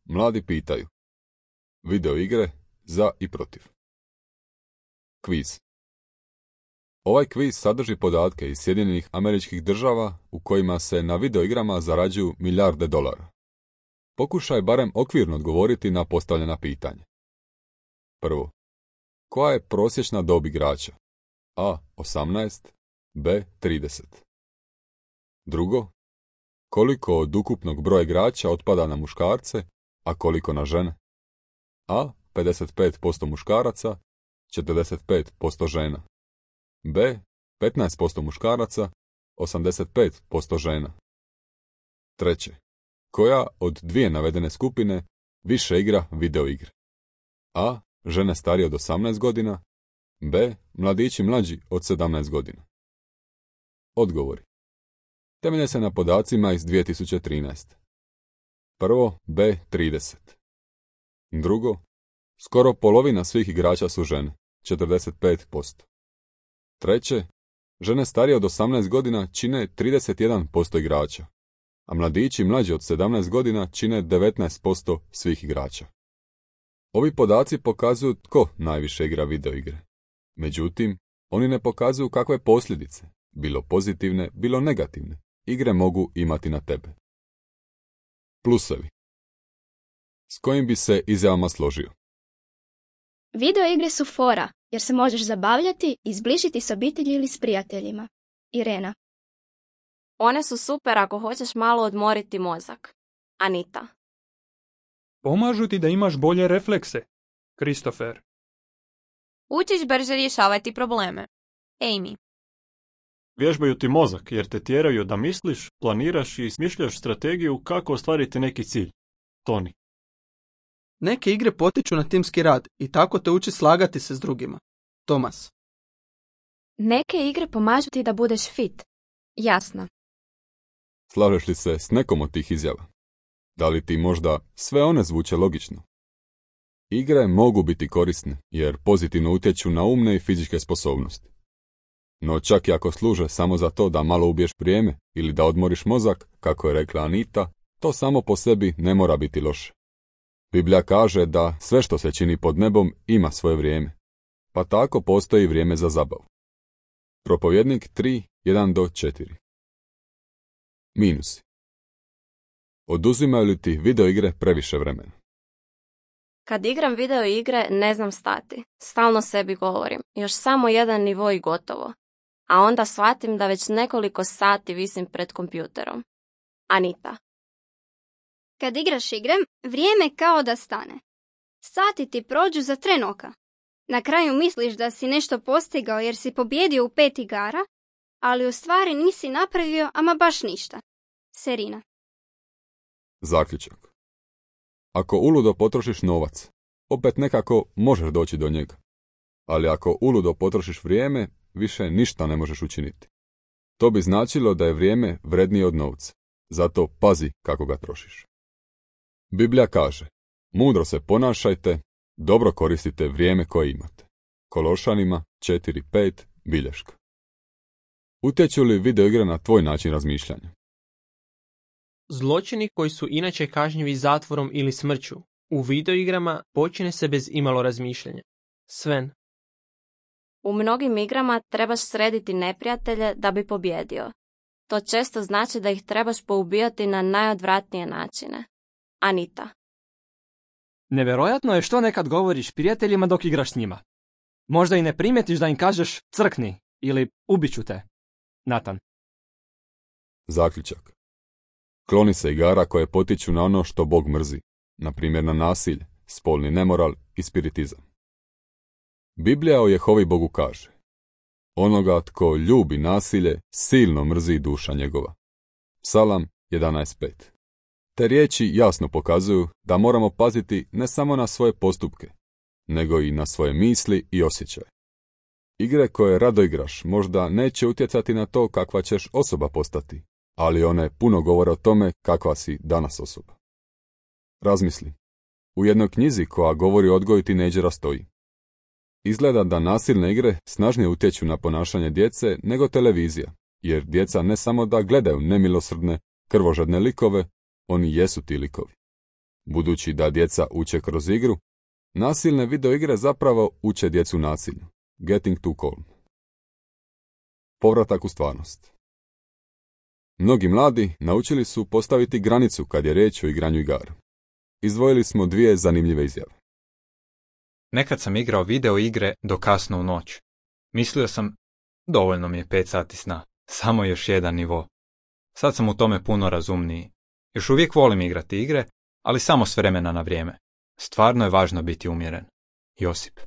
Mladi pitaju. Video igre za i protiv. Kviz. Ovaj kviz sadrži podatke iz Sjedinjenih Američkih Država u kojima se na videoigrama zarađuju milijarde dolara. Pokušaj barem okvirno odgovoriti na postavljena pitanja. Prvo. Koja je prosječna dob igrača? A. 18, B. 30. Drugo. Koliko od ukupnog broja igrača otpada na muškarce, a koliko na žene? A. 55% muškaraca, 45% žena. B. 15% muškaraca, 85% žena. Treće. Koja od dvije navedene skupine više igra videoigre? A. Žene starije od 18 godina, B. Mladići mlađi od 17 godina. Odgovori. Temelje se na podacima iz 2013. Prvo, B. 30. Drugo, skoro polovina svih igrača su žene, 45%. Treće, žene starije od 18 godina čine 31% igrača, a mladići mlađi od 17 godina čine 19% svih igrača. Ovi podaci pokazuju tko najviše igra videoigre. Međutim, oni ne pokazuju kakve posljedice, bilo pozitivne, bilo negativne, igre mogu imati na tebe. Plusevi. S kojim bi se izjavama složio? Video igre su fora, jer se možeš zabavljati i zbližiti s obitelji ili s prijateljima. Irena. One su super ako hoćeš malo odmoriti mozak. Anita. Pomažu ti da imaš bolje reflekse. Kristofer. Učiš brže rješavati probleme. Amy. Vježbaju ti mozak jer te tjeraju da misliš, planiraš i smišljaš strategiju kako ostvariti neki cilj. Toni. Neke igre potiču na timski rad i tako te uči slagati se s drugima. Tomas. Neke igre pomažu ti da budeš fit. Jasna. Slažeš li se s nekom od tih izjava? Da li ti možda sve one zvuče logično? Igre mogu biti korisne jer pozitivno utječu na umne i fizičke sposobnosti. No čak i ako služe samo za to da malo ubiješ vrijeme ili da odmoriš mozak, kako je rekla Anita, to samo po sebi ne mora biti loše. Biblija kaže da sve što se čini pod nebom ima svoje vrijeme, pa tako postoji vrijeme za zabavu. Propovjednik 3:1-4. Minusi. Oduzimaju li ti videoigre previše vremena? Kad igram video igre, ne znam stati. Stalno sebi govorim, još samo jedan nivo i gotovo. A onda shvatim da već nekoliko sati visim pred kompjuterom. Anita. Kad igraš igre, vrijeme kao da stane. Sati ti prođu za tren oka. Na kraju misliš da si nešto postigao jer si pobjedio u 5 igara, ali u stvari nisi napravio ama baš ništa. Serina. Zaključak. Ako uludo potrošiš novac, opet nekako možeš doći do njega. Ali ako uludo potrošiš vrijeme, više ništa ne možeš učiniti. To bi značilo da je vrijeme vrednije od novca. Zato pazi kako ga trošiš. Biblija kaže, mudro se ponašajte, dobro koristite vrijeme koje imate. Kološanima 4:5 bilješka. Utječu li videoigre na tvoj način razmišljanja? Zločini koji su inače kažnjivi zatvorom ili smrću, u videoigrama počine se bez imalo razmišljanja. Sven. U mnogim igrama trebaš srediti neprijatelje da bi pobjedio. To često znači da ih trebaš poubijati na najodvratnije načine. Anita. Nevjerojatno je što nekad govoriš prijateljima dok igraš s njima. Možda i ne primjetiš da im kažeš crkni ili ubiću te. Nathan. Zaključak. Kloni se igara koje potiču na ono što Bog mrzi, na primjer na nasilje, spolni nemoral i spiritizam. Biblija o Jehovi Bogu kaže, onoga tko ljubi nasilje, silno mrzi duša njegova. Psalam 11:5. Te riječi jasno pokazuju da moramo paziti ne samo na svoje postupke, nego i na svoje misli i osjećaje. Igre koje rado igraš možda neće utjecati na to kakva ćeš osoba postati, ali one puno govore o tome kakva si danas osoba. Razmisli. U jednoj knjizi koja govori o odgoju tinejdžera stoji: izgleda da nasilne igre snažnije utječu na ponašanje djece nego televizija, jer djeca ne samo da gledaju nemilosrdne, krvožedne likove, oni jesu ti likovi. Budući da djeca uče kroz igru, nasilne videoigre zapravo uče djecu nasilju. Getting too calm. Povratak u stvarnost. Mnogi mladi naučili su postaviti granicu kad je riječ o igranju igara. Izdvojili smo 2 zanimljive izjave. Nekad sam igrao video igre do kasno u noć. Mislio sam, dovoljno mi je 5 sati sna, samo još jedan nivo. Sad sam u tome puno razumniji. Još uvijek volim igrati igre, ali samo s vremena na vrijeme. Stvarno je važno biti umjeren. Josip.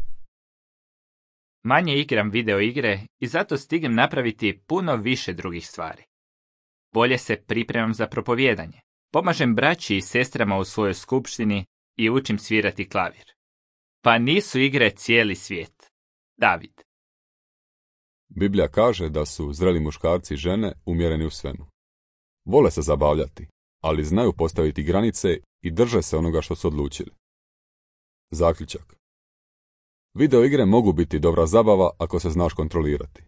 Manje igram video igre i zato stignem napraviti puno više drugih stvari. Bolje se pripremam za propovijedanje. Pomažem braći i sestrama u svojoj skupštini i učim svirati klavir. Pa nisu igre cijeli svijet. David. Biblija kaže da su zreli muškarci i žene umjereni u svemu. Vole se zabavljati, ali znaju postaviti granice i drže se onoga što su odlučili. Zaključak. Video igre mogu biti dobra zabava ako se znaš kontrolirati.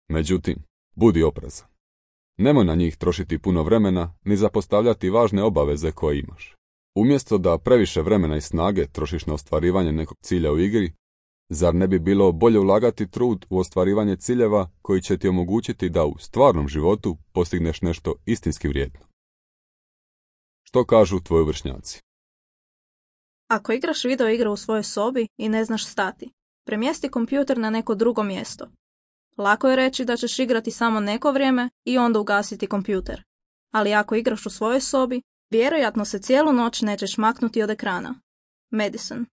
Međutim, budi oprezan. Nemoj na njih trošiti puno vremena ni zapostavljati važne obaveze koje imaš. Umjesto da previše vremena i snage trošiš na ostvarivanje nekog cilja u igri, zar ne bi bilo bolje ulagati trud u ostvarivanje ciljeva koji će ti omogućiti da u stvarnom životu postigneš nešto istinski vrijedno? Što kažu tvoji vršnjaci? Ako igraš video igre u svojoj sobi i ne znaš stati, premjesti kompjuter na neko drugo mjesto. Lako je reći da ćeš igrati samo neko vrijeme i onda ugasiti kompjuter. Ali ako igraš u svojoj sobi, vjerojatno se cijelu noć nećeš maknuti od ekrana. Madison.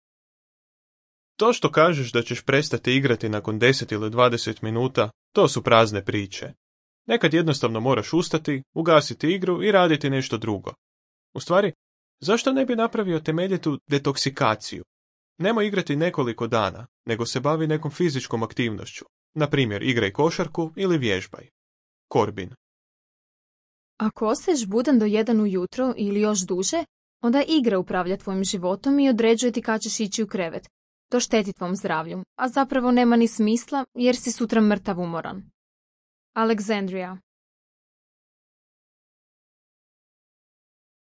To što kažeš da ćeš prestati igrati nakon 10 ili 20 minuta, to su prazne priče. Nekad jednostavno moraš ustati, ugasiti igru i raditi nešto drugo. U stvari, zašto ne bi napravio temeljitu detoksikaciju? Nemoj igrati nekoliko dana, nego se bavi nekom fizičkom aktivnošću. Na primjer, igraj košarku ili vježbaj. Corbin. Ako ostaješ budan do 1 ujutro ili još duže, onda igra upravlja tvojim životom i određuje ti kad ćeš ići u krevet. To šteti tvom zdravlju, a zapravo nema ni smisla jer si sutra mrtav umoran. Alexandria.